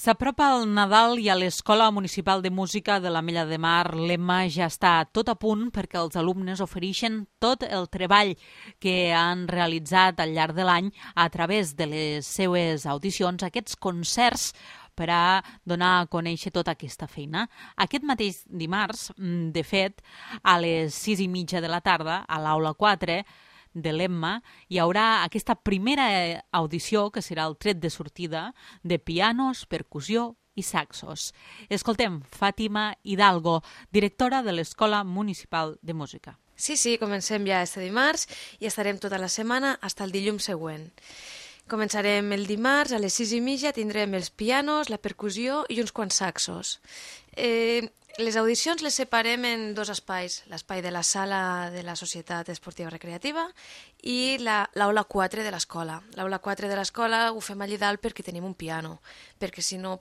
S'apropa el Nadal i a l'Escola Municipal de Música de l'Ametlla de Mar l'Emma ja està tot a punt perquè els alumnes ofereixen tot el treball que han realitzat al llarg de l'any a través de les seues audicions, aquests concerts per a donar a conèixer tota aquesta feina. Aquest mateix dimarts, de fet, a les 6:30 de la tarda, a l'Aula 4, de l'Emma, hi haurà aquesta primera audició, que serà el tret de sortida, de pianos, percussió i saxos. Escoltem Fàtima Hidalgo, directora de l'Escola Municipal de Música. Sí, comencem ja este dimarts i estarem tota la setmana fins al dilluns següent. Començarem el dimarts, a les 6:30 tindrem els pianos, la percussió i uns quants saxos. Les audicions les separem en dos espais, l'espai de la sala de la Societat Esportiva Recreativa i l'aula 4 de l'escola. L'aula 4 de l'escola ho fem allà dalt perquè tenim un piano, perquè si no,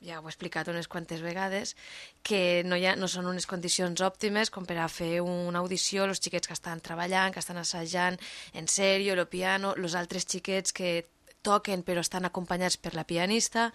ja ho he explicat unes quantes vegades, que no són unes condicions òptimes com per a fer una audició, els xiquets que estan treballant, que estan assajant en sèrio, el piano, els altres xiquets que toquen però estan acompanyats per la pianista.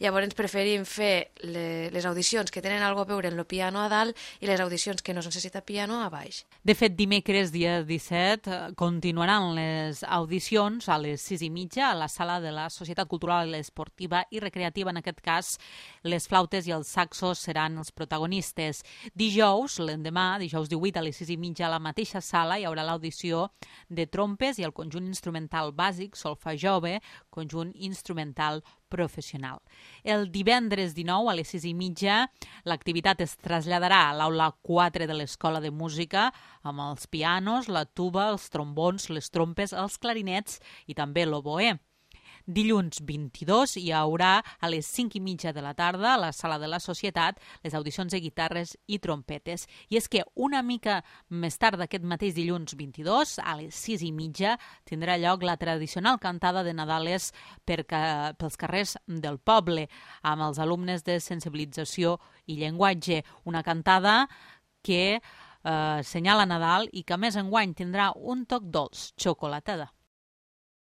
Llavors preferim fer les audicions que tenen alguna cosa a veure en el piano a dalt i les audicions que no es necessita piano a baix. De fet, dimecres, dia 17, continuaran les audicions a les 6:30 a la sala de la Societat Cultural Esportiva i Recreativa. En aquest cas, les flautes i els saxos seran els protagonistes. Dijous, l'endemà, dijous 18 a les 6:30 a la mateixa sala hi haurà l'audició de trompes i el conjunt instrumental bàsic, solfa jove, conjunt instrumental professional. El divendres 19 a les 6:30 l'activitat es traslladarà a l'aula 4 de l'Escola de Música amb els pianos, la tuba, els trombons, les trompes, els clarinets i també l'oboè. Dilluns 22 hi haurà a les 5:30 de la tarda a la sala de la Societat les audicions de guitarres i trompetes. I és que una mica més tard d'aquest mateix dilluns 22, a les 6:30, tindrà lloc la tradicional cantada de Nadales pels carrers del poble amb els alumnes de sensibilització i llenguatge. Una cantada que senyala Nadal i que a més enguany tindrà un toc dolç, xocolatada.